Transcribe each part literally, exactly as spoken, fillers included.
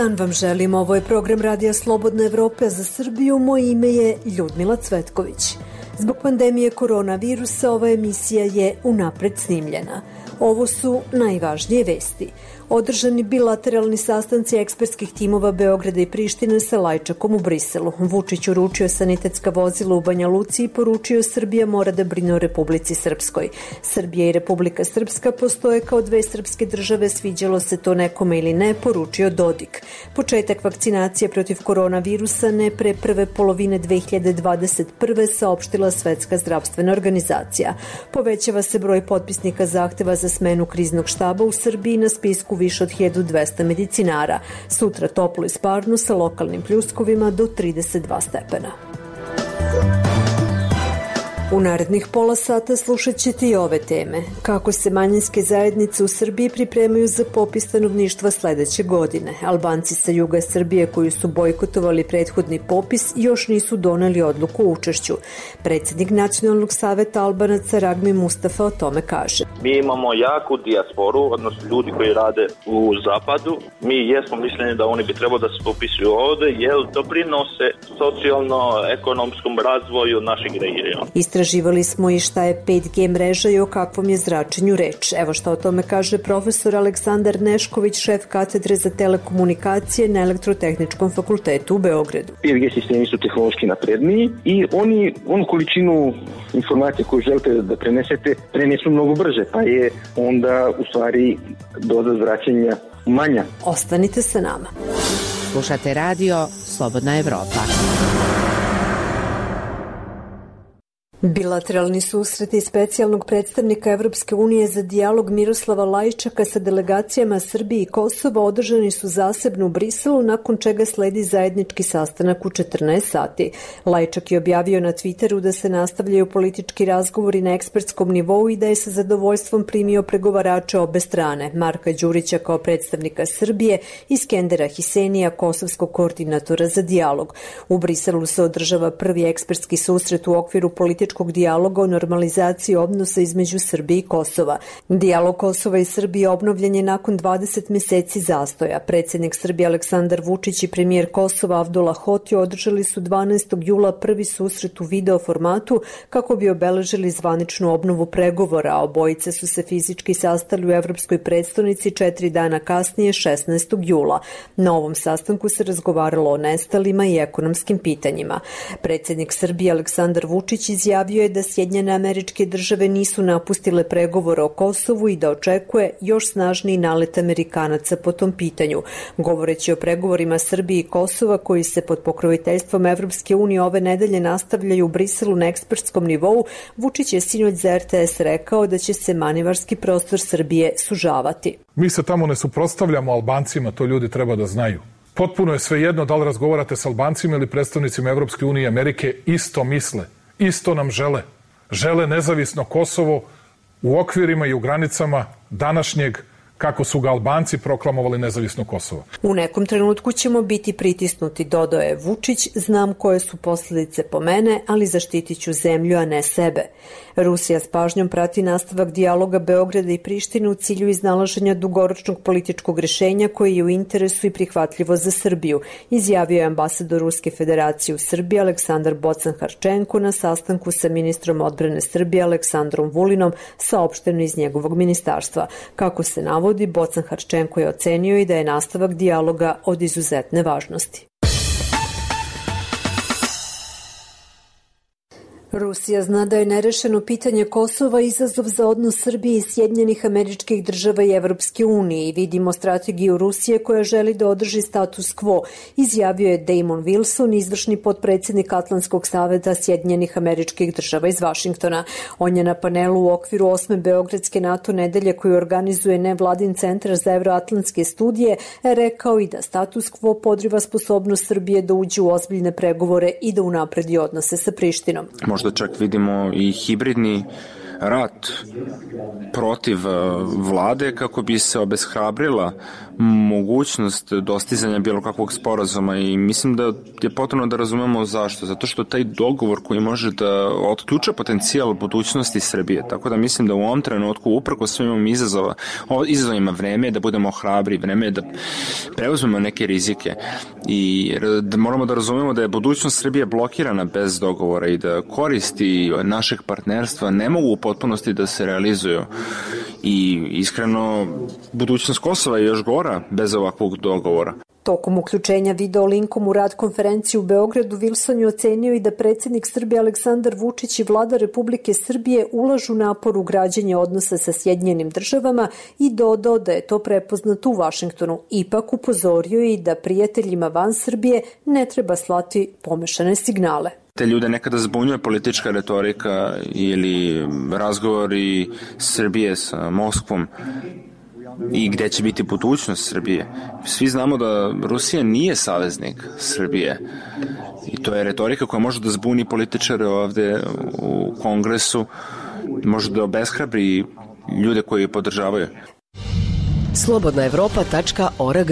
dan vam želim, ovo je program Radija Slobodna Evropa za Srbiju, moje ime je Ljudmila Cvetković. Zbog pandemije koronavirusa ova emisija je unapred snimljena. Ovo su najvažnije vesti. Održani bilateralni sastanci ekspertskih timova Beograda i Prištine sa Lajčakom u Briselu. Vučić uručio sanitetska vozila u Banja Luci i poručio Srbija mora da brine o Republici Srpskoj. Srbija i Republika Srpska postoje kao dve srpske države, sviđalo se to nekome ili ne, poručio Dodik. Početak vakcinacije protiv koronavirusa ne pre prve polovine dve hiljade dvadeset prve saopštila Svetska zdravstvena organizacija. Povećava se broj potpisnika zahteva za smenu kriznog štaba u Srbiji, na spisku više od hiljadu dvesta medicinara. Sutra toplo i sparno sa lokalnim pljuskovima do trideset dva stepena. U narednih pola sata slušat ćete i ove teme. Kako se manjinske zajednice u Srbiji pripremaju za popis stanovništva sledeće godine. Albanci sa juga Srbije koji su bojkotovali prethodni popis još nisu doneli odluku o učešću. Predsjednik Nacionalnog saveta Albanaca Ragmi Mustafa o tome kaže. Mi imamo jaku dijasporu, odnosno ljudi koji rade u zapadu. Mi jesmo mišljeni da oni bi trebalo da se popisuju ovde, jer doprinose socijalno-ekonomskom razvoju našeg regiona. Istraživali smo i šta je pet G mreža i o kakvom je zračenju reč. Evo šta o tome kaže profesor Aleksandar Nešković, šef katedre za telekomunikacije na Elektrotehničkom fakultetu u Beogradu. pet G sistemi su tehnološki napredniji i oni onu količinu informacije koju želite da prenesete prenesu mnogo brže, pa je onda u stvari doza zračenja manja. Ostanite sa nama. Slušate radio Slobodna Evropa. Bilateralni susreti specijalnog predstavnika Evropske unije za dijalog Miroslava Lajčaka sa delegacijama Srbije i Kosova održani su zasebno u Briselu, nakon čega sledi zajednički sastanak u četrnaest sati. Lajčak je objavio na Twitteru da se nastavljaju politički razgovori na ekspertskom nivou i da je sa zadovoljstvom primio pregovarače obe strane, Marka Đurića kao predstavnika Srbije i Skendera Hisenija, kosovskog koordinatora za dijalog. U Briselu se održava prvi ekspertski susret u okviru političkog dijaloga o normalizaciji odnosa između Srbije i Kosova. Dijalog Kosova i Srbije obnovljen je nakon dvadeset meseci zastoja. Predsjednik Srbije Aleksandar Vučić i premijer Kosova Avdula Hoti održali su dvanaestog jula prvi susret u video formatu kako bi obeležili zvaničnu obnovu pregovora, a obojice su se fizički sastali u Evropskoj prestonici četiri dana kasnije, šesnaestog jula. Na ovom sastanku se razgovaralo o nestalima i ekonomskim pitanjima. Predsjednik Srbije Aleksandar Vučić izjavio je da Sjedinjene Američke Države nisu napustile pregovore o Kosovu i da očekuje još snažniji nalet Amerikanaca po tom pitanju. Govoreći o pregovorima Srbije i Kosova koji se pod pokroviteljstvom Evropske unije ove nedelje nastavljaju u Briselu na ekspertskom nivou, Vučić je sinoć za R T S rekao da će se manevarski prostor Srbije sužavati. Mi se tamo ne suprotstavljamo Albancima, to ljudi treba da znaju. Potpuno je svejedno da li razgovarate s Albancima ili predstavnicima Evropske unije i Amerike, isto misle. Isto nam žele. Žele nezavisno Kosovo u okvirima i u granicama današnjeg kako su ga Albanci proklamovali nezavisno Kosovo. U nekom trenutku ćemo biti pritisnuti, dodao je Vučić, znam koje su posljedice po mene, ali zaštitit ću zemlju, a ne sebe. Rusija s pažnjom prati nastavak dijaloga Beograda i Prištine u cilju iznalaženja dugoročnog političkog rješenja koje je u interesu i prihvatljivo za Srbiju, izjavio je ambasador Ruske federacije u Srbiji Aleksandar Bocan-Harčenko na sastanku sa ministrom odbrane Srbije Aleksandrom Vulinom, saopšteno iz njegovog ministarstva. Kako se navodi, Bocan-Harčenko je ocenio i da je nastavak dijaloga od izuzetne važnosti. Rusija zna da je nerešeno pitanje Kosova izazov za odnos Srbije i Sjedinjenih Američkih Država i Evropske unije i vidimo strategiju Rusije koja želi da održi status quo, izjavio je Damon Wilson, izvršni potpredsjednik Atlantskog saveta Sjedinjenih Američkih Država iz Vašingtona. On je na panelu u okviru osme Beogradske NATO nedelje koju organizuje nevladin centar za evroatlantske studije rekao i da status quo podriva sposobnost Srbije da uđe u ozbiljne pregovore i da unapredi odnose sa Prištinom. Možda čak vidimo i hibridni rat protiv vlade kako bi se obeshrabrila mogućnost dostizanja bilo kakvog sporazuma i mislim da je potrebno da razumemo zašto. Zato što taj dogovor koji može da otključa potencijal budućnosti Srbije. Tako da mislim da u ovom trenutku uprko svim ovim izazova, izazovima vreme je da budemo hrabri, vreme je da preuzmemo neke rizike i da moramo da razumemo da je budućnost Srbije blokirana bez dogovora i da koristi našeg partnerstva ne mogu u potpunosti da se realizuju i iskreno budućnost Kosova je još gora bez ovakvog dogovora. Tokom uključenja video linkom u rad konferenciju u Beogradu, Wilson je ocenio i da predsjednik Srbije Aleksandar Vučić i vlada Republike Srbije ulažu napor u građenje odnosa sa Sjedinjenim državama i dodao da je to prepoznato u Vašingtonu. Ipak upozorio je i da prijateljima van Srbije ne treba slati pomešane signale. Te ljude nekada zbunjuje politička retorika ili razgovori Srbije sa Moskvom i gde će biti budućnost Srbije. Svi znamo da Rusija nije saveznik Srbije i to je retorika koja može da zbuni političare ovde u Kongresu, može da obeshrabri ljude koji je podržavaju. slobodna evropa tačka org.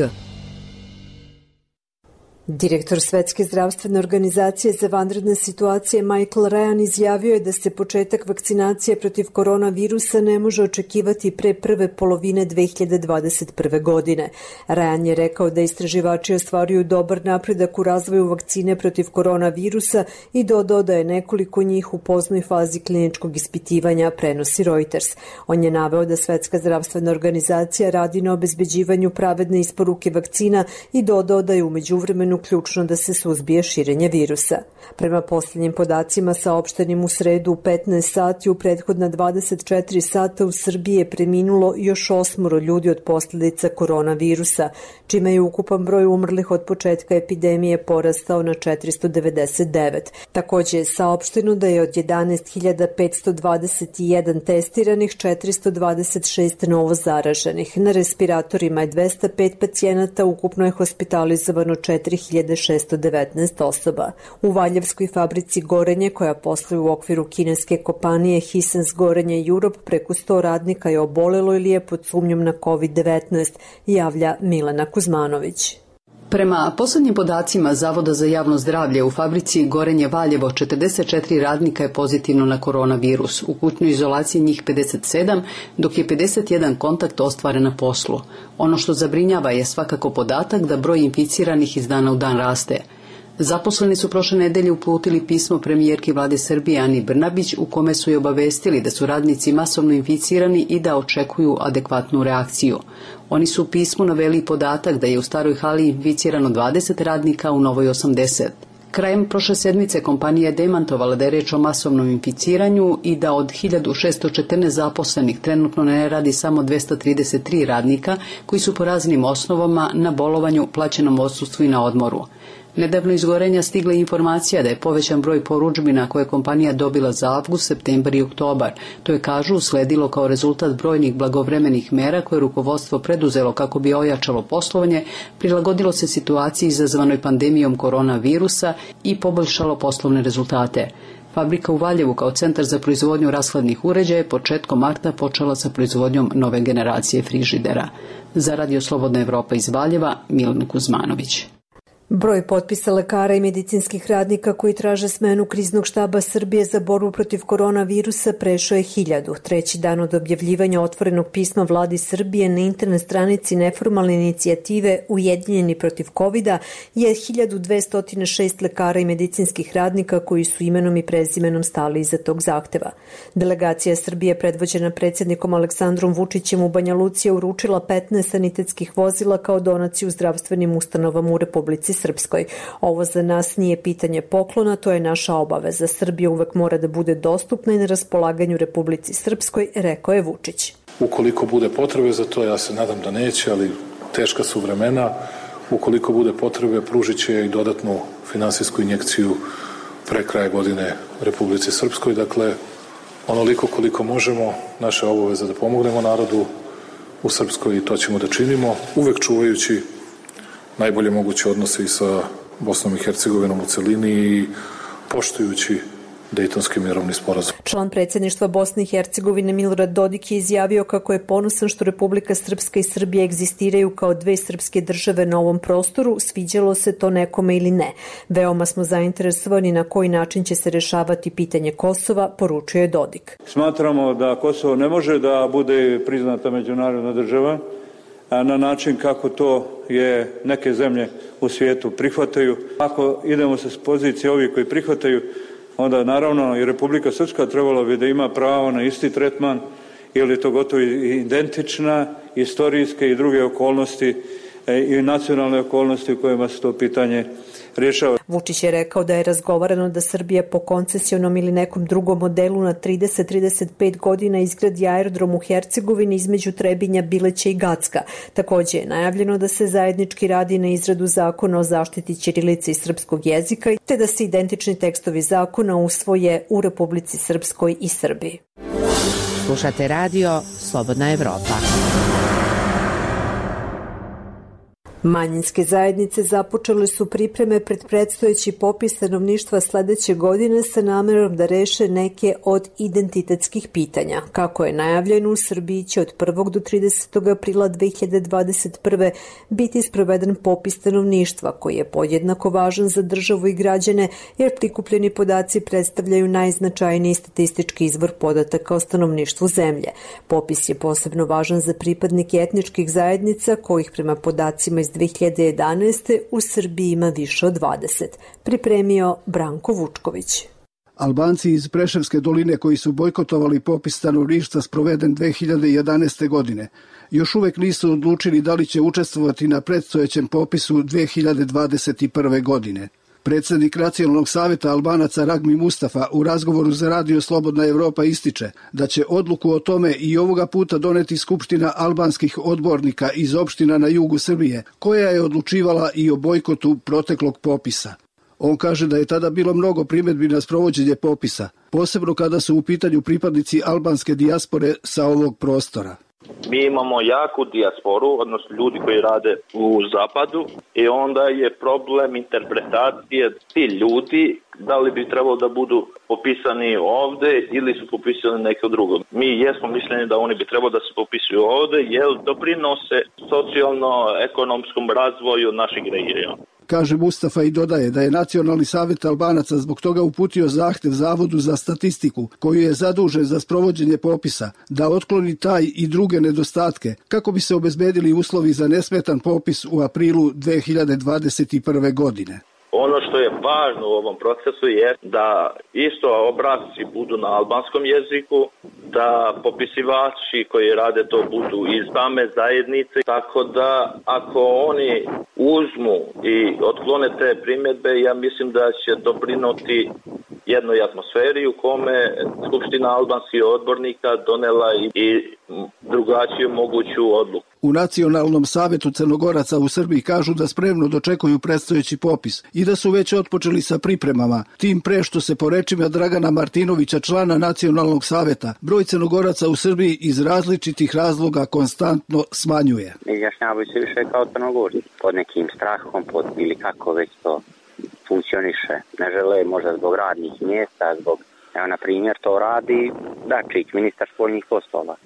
Direktor Svetske zdravstvene organizacije za vanredne situacije Michael Ryan izjavio je da se početak vakcinacije protiv koronavirusa ne može očekivati pre prve polovine dve hiljade dvadeset prve. godine. Ryan je rekao da istraživači ostvaruju dobar napredak u razvoju vakcine protiv koronavirusa i dodao da je nekoliko njih u poznoj fazi kliničkog ispitivanja, prenosi Reuters. On je naveo da Svetska zdravstvena organizacija radi na obezbeđivanju pravedne isporuke vakcina i dodao da je u međuvremenu ključno da se suzbije širenje virusa. Prema posljednjim podacima saopštenim u sredu u petnaest sati, u prethodna dvadeset četiri sata u Srbiji je preminulo još osmoro ljudi od posljedica koronavirusa, čime je ukupan broj umrlih od početka epidemije porastao na četiristo devedeset devet. Također je saopšteno da je od jedanaest hiljada petsto dvadeset jedan testiranih četiristo dvadeset šest novo zaraženih. Na respiratorima je dvesta pet pacijenata, ukupno je hospitalizovano četiri hiljade šesto devetnaest osoba. U Valjevskoj fabrici Gorenje, koja posluje u okviru kineske kompanije Hisense Gorenje Europe, preko sto radnika je obolelo ili je pod sumnjom na kovid devetnaest, javlja Milena Kuzmanović. Prema poslednjim podacima Zavoda za javno zdravlje u fabrici Gorenje Valjevo, četrdeset četiri radnika je pozitivno na koronavirus. U kućnoj izolaciji njih pedeset sedam, dok je pedeset jedan kontakt ostvaren na poslu. Ono što zabrinjava je svakako podatak da broj inficiranih iz dana u dan raste. Zaposleni su prošle nedelje uputili pismo premijerki vlade Srbije Ani Brnabić u kome su je obavestili da su radnici masovno inficirani i da očekuju adekvatnu reakciju. Oni su u pismu naveli podatak da je u Staroj hali inficirano dvadeset radnika, u Novoj osamdeset. Krajem prošle sedmice kompanija je demantovala da je reč o masovnom inficiranju i da od hiljadu šesto četrnaest zaposlenih trenutno ne radi samo dvesta trideset tri radnika koji su po raznim osnovama na bolovanju, plaćenom odsustvu i na odmoru. Nedavno iz Gorenja stigla informacija da je povećan broj porudžbina koje je kompanija dobila za avgust, septembar i oktobar. To je, kažu, usledilo kao rezultat brojnih blagovremenih mera koje je rukovodstvo preduzelo kako bi ojačalo poslovanje, prilagodilo se situaciji izazvanoj pandemijom koronavirusa i poboljšalo poslovne rezultate. Fabrika u Valjevu kao centar za proizvodnju rashladnih uređaja je početkom marta počela sa proizvodnjom nove generacije frižidera. Za Radio Slobodna Evropa iz Valjeva, Milan Kuzmanović. Broj potpisa lekara i medicinskih radnika koji traže smenu kriznog štaba Srbije za borbu protiv koronavirusa prešao je hiljadu. Treći dan od objavljivanja otvorenog pisma vladi Srbije na internet stranici neformalne inicijative Ujedinjeni protiv kovida je hiljadu dvesta šest lekara i medicinskih radnika koji su imenom i prezimenom stali iza tog zahteva. Delegacija Srbije predvođena predsjednikom Aleksandrom Vučićem u Banja Luci je uručila petnaest sanitetskih vozila kao donaciju zdravstvenim ustanovama u Republici Srpskoj. Ovo za nas nije pitanje poklona, to je naša obaveza. Srbija uvek mora da bude dostupna i na raspolaganju Republici Srpskoj, rekao je Vučić. Ukoliko bude potrebe za to, ja se nadam da neće, ali teška su vremena, ukoliko bude potrebe, pružit će i dodatnu finansijsku injekciju pre kraja godine Republici Srpskoj. Dakle, onoliko koliko možemo, naša obaveza da pomognemo narodu u Srpskoj i to ćemo da činimo, uvek čuvajući najbolje moguće odnose i sa Bosnom i Hercegovinom u celini i poštujući Dejtonski mirovni sporazum. Član predsjedništva Bosne i Hercegovine Milorad Dodik je izjavio kako je ponosan što Republika Srpska i Srbija egzistiraju kao dve srpske države na ovom prostoru, sviđalo se to nekome ili ne. Veoma smo zainteresovani na koji način će se rešavati pitanje Kosova, poručio je Dodik. Smatramo da Kosovo ne može da bude priznata međunarodna država na način kako to je neke zemlje u svijetu prihvataju. Ako idemo sa pozicije ovih koji prihvataju, onda naravno i Republika Srpska trebala bi da ima pravo na isti tretman, ili je to gotovo identična istorijske i druge okolnosti i nacionalne okolnosti u kojima se to pitanje rješava. Vučić je rekao da je razgovarano da Srbija po koncesionom ili nekom drugom modelu na trideset do trideset pet godina izgradi aerodrom u Hercegovini između Trebinja, Bileća i Gacka. Takođe je najavljeno da se zajednički radi na izradu zakona o zaštiti ćirilice i srpskog jezika, te da se identični tekstovi zakona usvoje u Republici Srpskoj i Srbiji. Slušate radio Slobodna Evropa. Manjinske zajednice započele su pripreme pred predstojeći popis stanovništva sledeće godine sa namerom da reše neke od identitetskih pitanja. Kako je najavljeno, u Srbiji će od prvog do tridesetog aprila dve hiljade dvadeset prve. biti sproveden popis stanovništva, koji je podjednako važan za državu i građane, jer prikupljeni podaci predstavljaju najznačajniji statistički izvor podataka o stanovništvu zemlje. Popis je posebno važan za pripadnike etničkih zajednica, kojih prema podacima iz dve hiljade jedanaeste. u Srbiji ima više od dvadeset. Pripremio Branko Vučković. Albanci iz Preševske doline koji su bojkotovali popis stanovništva sproveden dve hiljade jedanaeste. godine, još uvek nisu odlučili da li će učestvovati na predstojećem popisu dve hiljade dvadeset prve. godine. Predsjednik Nacionalnog savjeta Albanaca Ragmi Mustafa u razgovoru za radio Slobodna Evropa ističe da će odluku o tome i ovoga puta doneti Skupština albanskih odbornika iz opština na jugu Srbije, koja je odlučivala i o bojkotu proteklog popisa. On kaže da je tada bilo mnogo primjedbi na sprovođenje popisa, posebno kada su u pitanju pripadnici albanske dijaspore sa ovog prostora. Mi imamo jaku dijasporu, odnosno ljudi koji rade u zapadu, i onda je problem interpretacije ti ljudi, da li bi trebalo da budu popisani ovde ili su popisani neko drugo. Mi jesmo mišljeni da oni bi trebalo da se popisuju ovde, jer doprinose socijalno-ekonomskom razvoju našeg regiona. Kaže Mustafa i dodaje da je Nacionalni savjet Albanaca zbog toga uputio zahtev Zavodu za statistiku, koji je zadužen za sprovođenje popisa, da otkloni taj i druge nedostatke, kako bi se obezbedili uslovi za nesmetan popis u aprilu dve hiljade dvadeset prve. godine. Ono što je važno u ovom procesu je da isto obrasci budu na albanskom jeziku, da popisivači koji rade to budu iz same zajednice, tako da ako oni uzmu i otklone te primjedbe, ja mislim da će doprinoti jednoj atmosferi u kome Skupština albanskih odbornika donela i drugačiju moguću odluku. U Nacionalnom savjetu Crnogoraca u Srbiji kažu da spremno dočekuju predstojeći popis i da su već otpočeli sa pripremama, tim pre što se po rečima Dragana Martinovića, člana Nacionalnog savjeta, broj Crnogoraca u Srbiji iz različitih razloga konstantno smanjuje. Izjašnjavaju se više kao Crnogorci, pod nekim strahom, pod ili kako već to funkcioniše. Ne žele možda zbog radnih mjesta, zbog, evo na primjer to radi Dačić, ministar spoljnih poslova,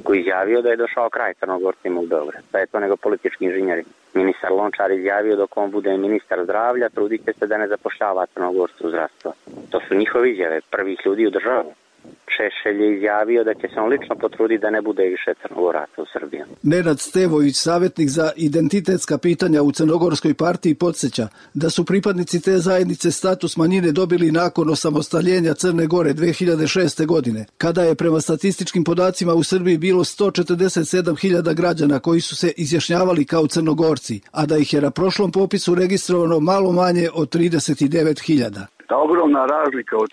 koji izjavio da je došao kraj Crnogorcima u Beograd. Pa je to nego politički inženjeri. Ministar Lončar izjavio dok on bude ministar zdravlja, trudit će se da ne zapošljava Crnogorcu u zdravstvo. To su njihove izjave, prvih ljudi u državu. Šešelj je izjavio da će se on lično potruditi da ne bude više Crnogoraca u Srbiji. Nenad Stevović, savjetnik za identitetska pitanja u Crnogorskoj partiji, podsjeća da su pripadnici te zajednice status manjine dobili nakon osamostaljenja Crne Gore dve hiljade šeste. godine, kada je prema statističkim podacima u Srbiji bilo sto četrdeset sedam hiljada građana koji su se izjašnjavali kao Crnogorci, a da ih je na prošlom popisu registrovano malo manje od trideset devet hiljada. Ta ogromna razlika od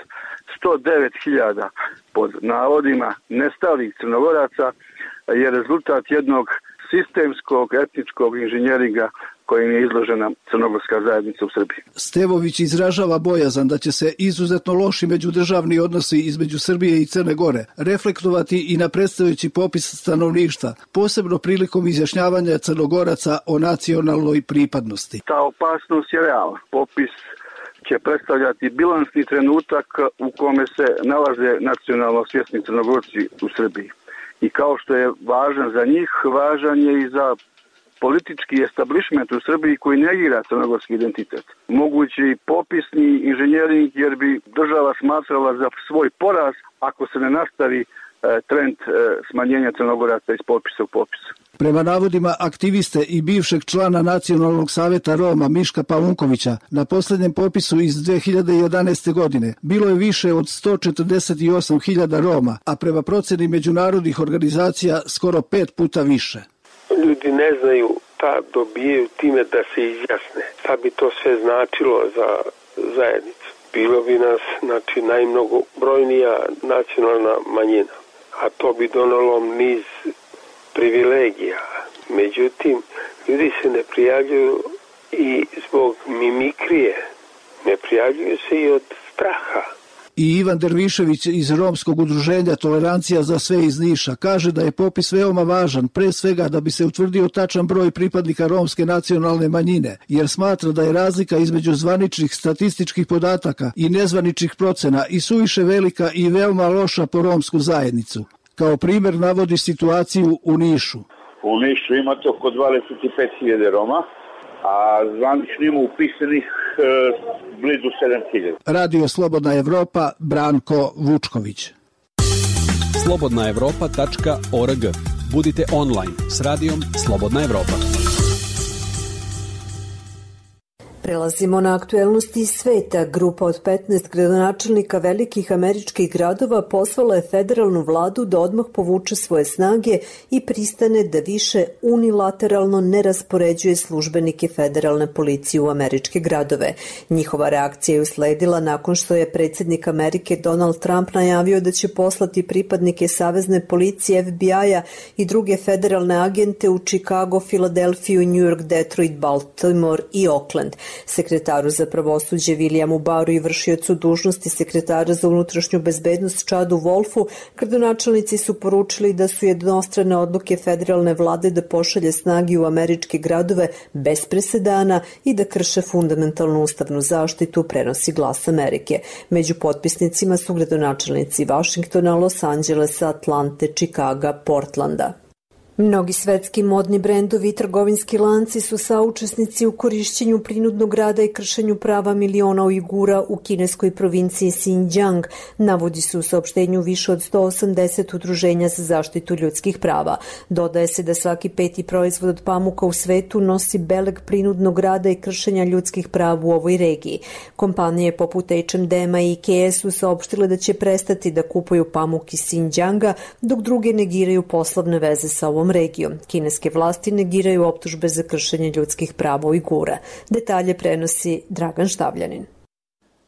sto devet hiljada pod navodima nestalih Crnogoraca je rezultat jednog sistemskog etničkog inženjeringa kojim je izložena crnogorska zajednica u Srbiji. Stevović izražava bojazan da će se izuzetno loši međudržavni odnosi između Srbije i Crne Gore reflektovati i na predstojeći popis stanovništva, posebno prilikom izjašnjavanja Crnogoraca o nacionalnoj pripadnosti. Ta opasnost je realna. Popis će predstavljati bilansni trenutak u kome se nalaze nacionalno svjesni Crnogorci u Srbiji. I kao što je važan za njih, važan je i za politički establishment u Srbiji koji negira crnogorski identitet. Mogući popisni inženjering jer bi država smatrala za svoj poraz ako se ne nastavi trend smanjenja Crnogoraca iz popisa u popis. Prema navodima aktiviste i bivšeg člana Nacionalnog saveta Roma Miška Paunkovića, na posljednjem popisu iz dve hiljade jedanaeste. godine bilo je više od sto četrdeset osam hiljada Roma, a prema proceni međunarodnih organizacija skoro pet puta više. Ljudi ne znaju šta dobijaju time da se izjasne. Šta bi to sve značilo za zajednicu? Bilo bi nas, znači, najmnogobrojnija nacionalna manjina, a to bi donalo niz privilegija. Međutim, ljudi se ne prijavljuju i zbog mimikrije, ne prijavljuju se i od straha. I Ivan Dervišević iz Romskog udruženja Tolerancija za sve iz Niša kaže da je popis veoma važan, pre svega da bi se utvrdio tačan broj pripadnika romske nacionalne manjine, jer smatra da je razlika između zvaničnih statističkih podataka i nezvaničnih procena i suviše velika i veoma loša po romsku zajednicu. Kao primjer navodi situaciju u Nišu. U Nišu imate oko dvadeset pet hiljada Roma, a zvanično ima upisanih e, blizu sedam hiljada. Radio Slobodna Evropa, Branko Vučković. slobodna evropa tačka org. Budite online s radijom Slobodna Evropa. Prelazimo na aktuelnosti iz sveta. Grupa od petnaest gradonačelnika velikih američkih gradova pozvala je federalnu vladu da odmah povuče svoje snage i pristane da više unilateralno ne raspoređuje službenike federalne policije u američke gradove. Njihova reakcija je usledila nakon što je predsjednik Amerike Donald Trump najavio da će poslati pripadnike savezne policije F B I-a i druge federalne agente u Chicago, Filadelfiju, New York, Detroit, Baltimore i Oakland. Sekretaru za pravosuđe Williamu Barru i vršiocu dužnosti sekretara za unutrašnju bezbednost Chadu Wolfu, gradonačelnici su poručili da su jednostrane odluke federalne vlade da pošalje snage u američke gradove bez presedana i da krše fundamentalnu ustavnu zaštitu, prenosi Glas Amerike. Među potpisnicima su gradonačelnici Vašingtona, Los Angelesa, Atlante, Čikaga, Portlanda. Mnogi svetski modni brendovi i trgovinski lanci su saučesnici u korišćenju prinudnog rada i kršenju prava miliona Ujgura u kineskoj provinciji Xinjiang, navodi se u saopštenju više od sto osamdeset udruženja za zaštitu ljudskih prava. Dodaje se da svaki peti proizvod od pamuka u svetu nosi beleg prinudnog rada i kršenja ljudskih prava u ovoj regiji. Kompanije poput H and M-a i Ikea su saopštile da će prestati da kupuju pamuk iz Xinjianga, dok druge negiraju poslovne veze sa ovom regijom. Kineske vlasti negiraju optužbe za kršenje ljudskih prava Ujgura. Detalje prenosi Dragan Štavljanin.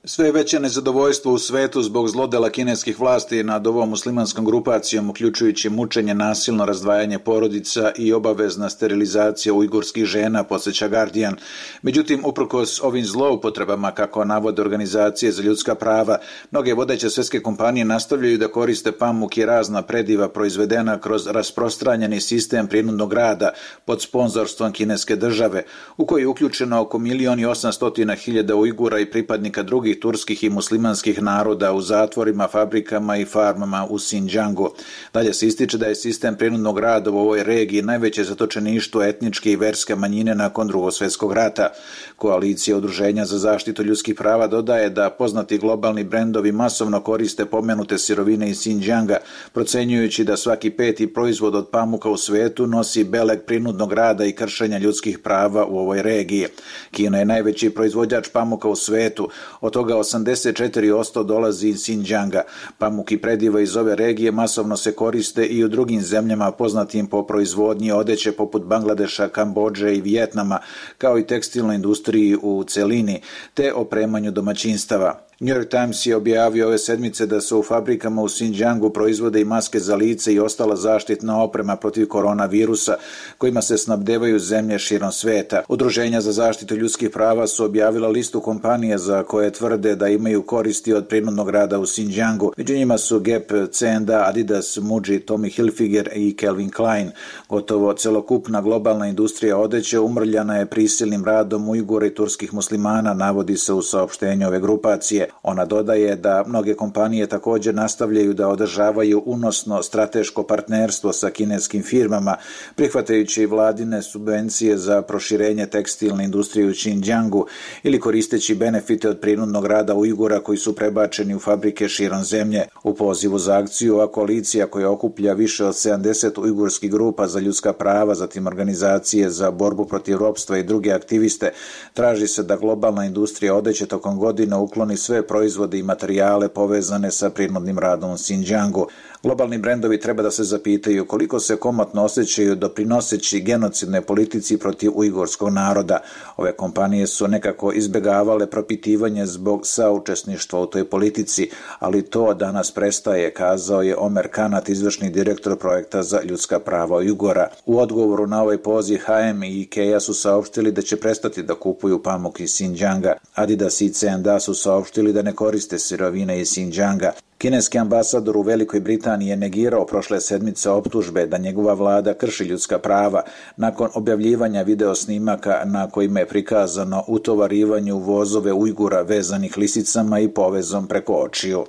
Sve veće nezadovoljstvo u svetu zbog zlodela kineskih vlasti nad ovom muslimanskom grupacijom, uključujući mučenje, nasilno razdvajanje porodica i obavezna sterilizacija ujgurskih žena, podsjeća Guardian. Međutim, uprkos ovim zloupotrebama, kako navode organizacije za ljudska prava, mnoge vodeće svjetske kompanije nastavljaju da koriste pamuk i razna prediva proizvedena kroz rasprostranjeni sistem prinudnog rada pod sponzorstvom kineske države, u koji je uključeno oko milion i osamstotina hiljada Ujgura i pripadnika drugih turskih i muslimanskih naroda u zatvorima, fabrikama i farmama u Xinjiangu. Dalje se ističe da je sistem prinudnog rada u ovoj regiji najveće zatočeništvo etničke i verske manjine nakon Drugog svjetskog rata. Koalicija udruženja za zaštitu ljudskih prava dodaje da poznati globalni brendovi masovno koriste pomenute sirovine iz Xinjianga, procenjujući da svaki peti proizvod od pamuka u svetu nosi beleg prinudnog rada i kršenja ljudskih prava u ovoj regiji. Kina je najveći proizvođač pamuka u svetu, od toga osamdeset četiri posto dolazi iz Xinjianga. Pamuk i prediva iz ove regije masovno se koriste i u drugim zemljama poznatim po proizvodnji odeće poput Bangladeša, Kambodže i Vijetnama, kao i tekstilnoj industriji u celini, te opremanju domaćinstava. New York Times je objavio ove sedmice da se u fabrikama u Xinjiangu proizvode i maske za lice i ostala zaštitna oprema protiv koronavirusa kojima se snabdevaju zemlje širom sveta. Udruženja za zaštitu ljudskih prava su objavila listu kompanija za koje tvrde da imaju koristi od prinudnog rada u Xinjiangu. Među njima su Gap, C and A, Adidas, Muji, Tommy Hilfiger i Calvin Klein. Gotovo celokupna globalna industrija odeće umrljana je prisilnim radom Ujgura i turskih muslimana, navodi se u saopštenju ove grupacije. Ona dodaje da mnoge kompanije također nastavljaju da održavaju unosno strateško partnerstvo sa kineskim firmama, prihvatajući vladine subvencije za proširenje tekstilne industrije u Xinjiangu ili koristeći benefite od prinudnog rada Ujgura koji su prebačeni u fabrike širom zemlje. U pozivu za akciju ova koalicija koja okuplja više od sedamdeset ujgurskih grupa za ljudska prava, zatim organizacije za borbu protiv ropstva i druge aktiviste, traži se da globalna industrija odeće tokom godina ukloni sve proizvode i materijale povezane sa prinudnim radom u Xinjiangu. Globalni brendovi treba da se zapitaju koliko se komotno osjećaju doprinoseći genocidnoj politici protiv ujgurskog naroda. Ove kompanije su nekako izbjegavale propitivanje zbog saučesništva u toj politici, ali to danas prestaje, kazao je Omer Kanat, izvršni direktor projekta za ljudska prava Ujgura. U odgovoru na ovaj poziv H and M i IKEA su saopštili da će prestati da kupuju pamuk iz Xinjianga. Adidas i C and A su saopštili da ne koriste sirovine iz Xinjianga. Kineski ambasador u Velikoj Britaniji je negirao prošle sedmice optužbe da njegova vlada krši ljudska prava nakon objavljivanja video snimaka na kojima je prikazano utovarivanje u vozove Ujgura vezanih lisicama i povezom preko očiju.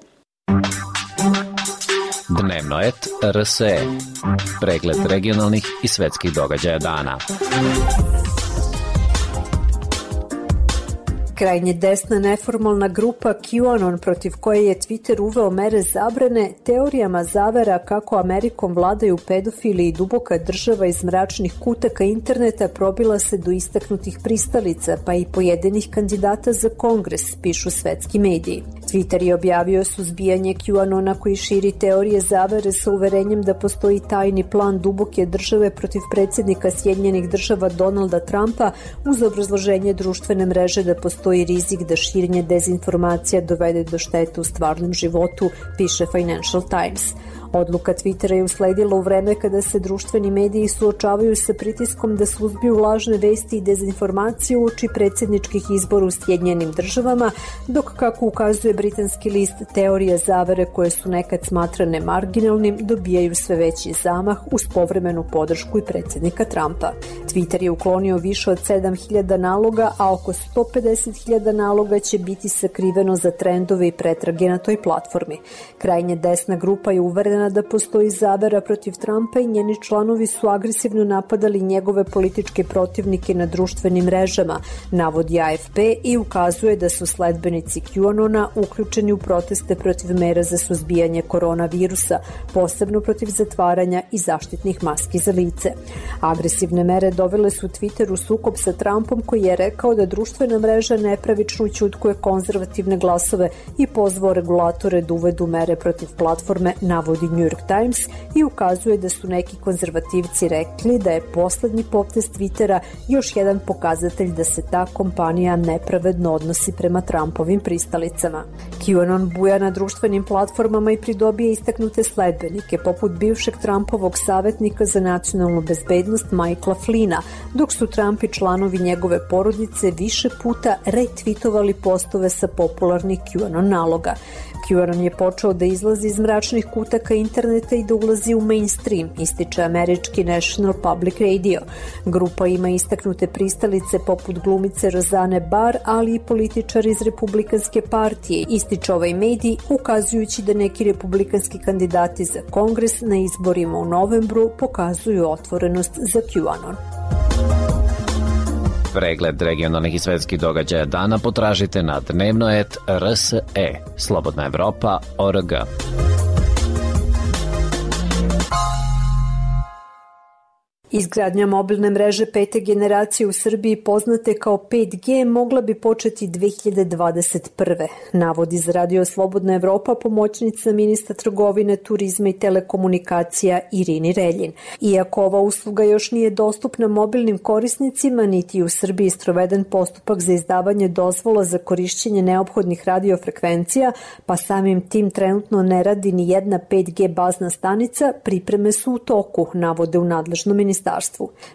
Dnevno et R S E. Pregled regionalnih i svetskih događaja dana. Krajnje desna neformalna grupa QAnon, protiv koje je Twitter uveo mere zabrane, teorijama zavera kako Amerikom vladaju pedofili i duboka država iz mračnih kutaka interneta probila se do istaknutih pristalica, pa i pojedinih kandidata za kongres, pišu svetski mediji. Twitter je objavio suzbijanje QAnona koji širi teorije zavere sa uverenjem da postoji tajni plan duboke države protiv predsjednika Sjedinjenih država Donalda Trumpa uz obrazloženje društvene mreže da postoji i rizik da širenje dezinformacija dovede do štete u stvarnom životu, piše Financial Times. Odluka Twittera je usledila u vreme kada se društveni mediji suočavaju sa pritiskom da suzbiju lažne vesti i dezinformacije uoči predsjedničkih izbora u Sjedinjenim državama, dok, kako ukazuje britanski list, teorije zavere koje su nekad smatrane marginalnim dobijaju sve veći zamah uz povremenu podršku i predsjednika Trumpa. Twitter je uklonio više od sedam hiljada naloga, a oko sto pedeset hiljada naloga će biti sakriveno za trendove i pretrage na toj platformi. Krajnje desna grupa je uverena da postoji zavera protiv Trumpa i njeni članovi su agresivno napadali njegove političke protivnike na društvenim mrežama, navodi A F P i ukazuje da su sledbenici QAnona uključeni u proteste protiv mera za suzbijanje koronavirusa, posebno protiv zatvaranja i zaštitnih maski za lice. Agresivne mere dovele su Twitter u sukob sa Trumpom, koji je rekao da društvena mreža nepravično ućutkuje konzervativne glasove i pozvao regulatore da uvedu mere protiv platforme, navodi New York Times, i ukazuje da su neki konzervativci rekli da je poslednji potez Twittera još jedan pokazatelj da se ta kompanija nepravedno odnosi prema Trumpovim pristalicama. QAnon buja na društvenim platformama i pridobije istaknute sledbenike, poput bivšeg Trumpovog savjetnika za nacionalnu bezbednost Michaela Flynna, dok su Trump i članovi njegove porodice više puta retweetovali postove sa popularnih QAnon naloga. QAnon je počeo da izlazi iz mračnih kutaka interneta i da ulazi u mainstream, ističe američki National Public Radio. Grupa ima istaknute pristalice poput glumice Roseanne Barr, ali i političari iz Republikanske partije, ističe ovaj medij, ukazujući da neki republikanski kandidati za kongres na izborima u novembru pokazuju otvorenost za QAnon. Pregled regionalnih i svetskih događaja dana potražite na dnevno et R S E, Slobodna Evropa, O R G. Izgradnja mobilne mreže pete generacije u Srbiji, poznate kao pet G, mogla bi početi dve hiljade dvadeset prve. Navodi za Radio Slobodna Evropa pomoćnica ministra trgovine, turizma i telekomunikacija Irini Reljin. Iako ova usluga još nije dostupna mobilnim korisnicima, niti u Srbiji sproveden postupak za izdavanje dozvola za korišćenje neophodnih radiofrekvencija, pa samim tim trenutno ne radi ni jedna pet G bazna stanica, pripreme su u toku, navode u nadležnom ministarstvu.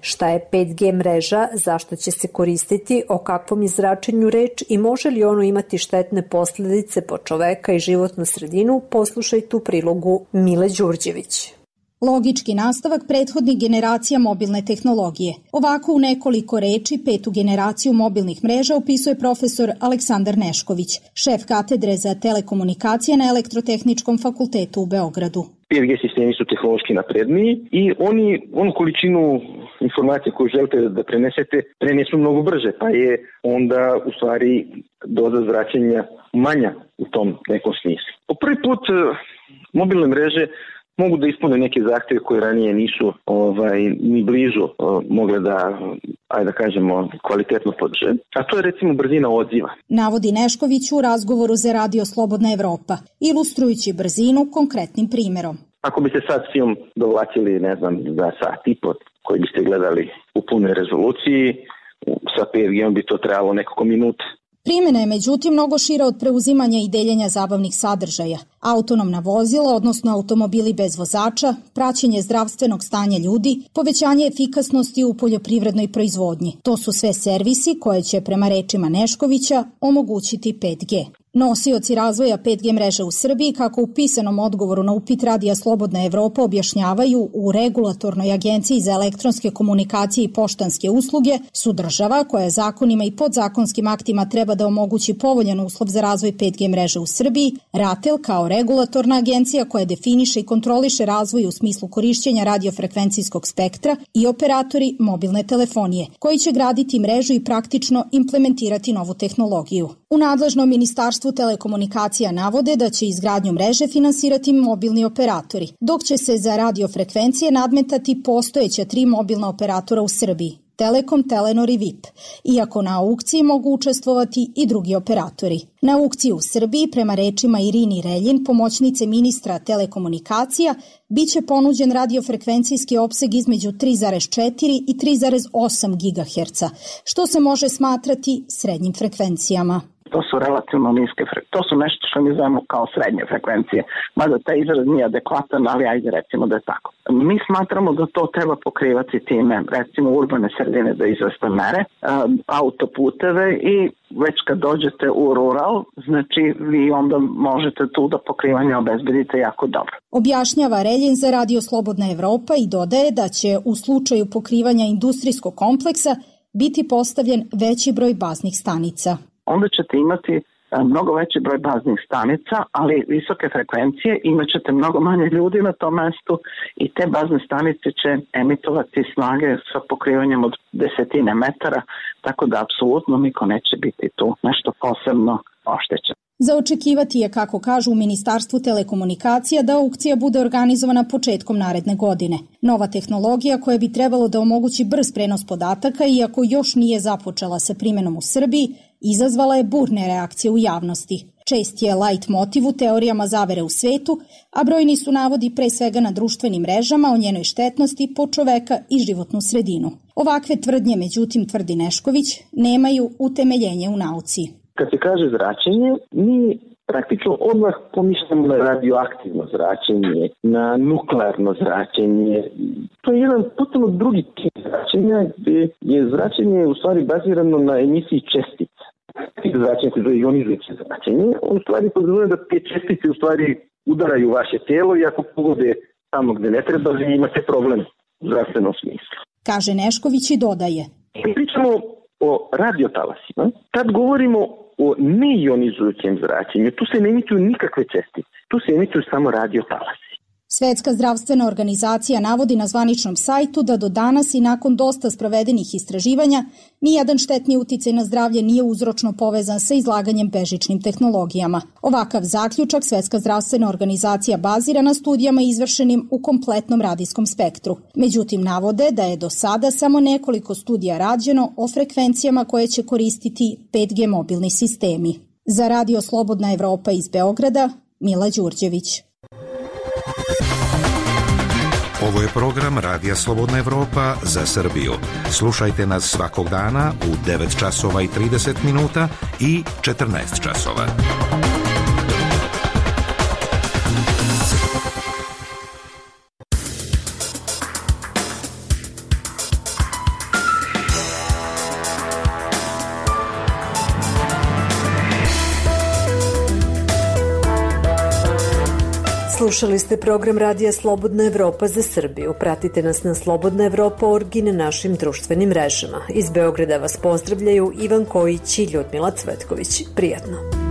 Šta je pet G mreža, zašto će se koristiti, o kakvom je zračenju reč i može li ono imati štetne posledice po čoveka i životnu sredinu, poslušajte u prilogu Mile Đurđević. Logički nastavak prethodnih generacija mobilne tehnologije. Ovako u nekoliko reči petu generaciju mobilnih mreža opisuje profesor Aleksandar Nešković, šef katedre za telekomunikacije na Elektrotehničkom fakultetu u Beogradu. pet G sistemi su tehnološki napredniji i oni onu količinu informacije koju želite da prenesete prenesu mnogo brže, pa je onda u stvari doza zračenja manja u tom nekom smislu. Po prvi put mobilne mreže mogu da ispune neke zahteve koje ranije nisu ovaj, ni blizu o, mogle da, ajde da kažemo, kvalitetno podrže. A to je recimo brzina odziva. Navodi Nešković u razgovoru za Radio Slobodna Evropa, ilustrujući brzinu konkretnim primjerom. Ako biste sad film dovlačili, ne znam, za sat i po koji biste gledali u punoj rezoluciji, sa pet G bi to trebalo nekoliko minuta. Primjena je međutim mnogo šira od preuzimanja i deljenja zabavnih sadržaja. Autonomna vozila, odnosno automobili bez vozača, praćenje zdravstvenog stanja ljudi, povećanje efikasnosti u poljoprivrednoj proizvodnji. To su sve servisi koje će, prema rečima Neškovića, omogućiti pet G. Nosioci razvoja pet G mreže u Srbiji, kako u pisanom odgovoru na upit Radija Slobodna Evropa objašnjavaju, u Regulatornoj agenciji za elektronske komunikacije i poštanske usluge, su država koja zakonima i podzakonskim aktima treba da omogući povoljan uslov za razvoj pet G mreže u Srbiji, RATEL kao regulatorna agencija koja definiše i kontroliše razvoj u smislu korišćenja radiofrekvencijskog spektra, i operatori mobilne telefonije, koji će graditi mrežu i praktično implementirati novu tehnologiju. U nadležnom ministarstvu telekomunikacija navode da će izgradnju mreže finansirati mobilni operatori, dok će se za radiofrekvencije nadmetati postojeća tri mobilna operatora u Srbiji, Telekom, Telenor i V I P, iako na aukciji mogu učestvovati i drugi operatori. Na aukciji u Srbiji, prema rečima Irini Reljin, pomoćnice ministra telekomunikacija, biće ponuđen radiofrekvencijski opseg između tri zarez četiri i tri zarez osam gigaherca, što se može smatrati srednjim frekvencijama. To su relativno niske frekvencije. To su nešto što mi zovemo kao srednje frekvencije. Mada taj izraz nije adekvatan, ali ajde recimo da je tako. Mi smatramo da to treba pokrivati time, recimo urbane sredine da izveste mere, autoputeve i već kad dođete u rural, znači vi onda možete tu da pokrivanje obezbedite jako dobro. Objašnjava Reljin za Radio Slobodna Evropa i dodaje da će u slučaju pokrivanja industrijskog kompleksa biti postavljen veći broj baznih stanica. Onda ćete imati mnogo veći broj baznih stanica, ali visoke frekvencije, imat ćete mnogo manje ljudi na tom mestu i te bazne stanice će emitovati snage sa pokrivanjem od desetine metara, tako da apsolutno niko neće biti tu nešto posebno oštećen. Za očekivati je, kako kažu u Ministarstvu telekomunikacija, da aukcija bude organizovana početkom naredne godine. Nova tehnologija koja bi trebalo da omogući brz prenos podataka, iako još nije započela sa primjenom u Srbiji, izazvala je burne reakcije u javnosti. Čest je light motiv u teorijama zavere u svetu, a brojni su navodi pre svega na društvenim mrežama o njenoj štetnosti po čoveka i životnu sredinu. Ovakve tvrdnje, međutim, tvrdi Nešković, nemaju utemeljenje u nauci. Kad se kaže zračenje, mi praktično odmah pomišljamo na radioaktivno zračenje, na nuklearno zračenje. To je jedan potpuno drugi tip zračenja, gde je zračenje u stvari bazirano na emisiji čestica. Tip zračenja koje je ionizujuće zračenje, on u stvari podrazumeva da te čestice u stvari udaraju vaše telo i ako pogode tamo gde ne treba, vi imate problem u zdravstvenom smislu. Kaže Nešković i dodaje. Pričamo o radiotalasima. Tad govorimo o neionizujućem zračenju. Tu se ne emituju nikakve čestice. Tu se emituju samo radiotalasi. Svetska zdravstvena organizacija navodi na zvaničnom sajtu da do danas i nakon dosta sprovedenih istraživanja nijedan štetni uticaj na zdravlje nije uzročno povezan sa izlaganjem bežičnim tehnologijama. Ovakav zaključak Svetska zdravstvena organizacija bazira na studijama izvršenim u kompletnom radijskom spektru. Međutim, navode da je do sada samo nekoliko studija rađeno o frekvencijama koje će koristiti pet G mobilni sistemi. Za Radio Slobodna Evropa iz Beograda, Mila Đurđević. Ovo je program Radija Slobodna Evropa za Srbiju. Slušajte nas svakog dana u devet časova i trideset minuta i četrnaest časova. Slušali ste program Radija Slobodna Evropa za Srbiju. Pratite nas na Slobodna Evropa punkt org i na našim društvenim mrežama. Iz Beograda vas pozdravljaju Ivan Kojić i Ljudmila Cvetković. Prijatno.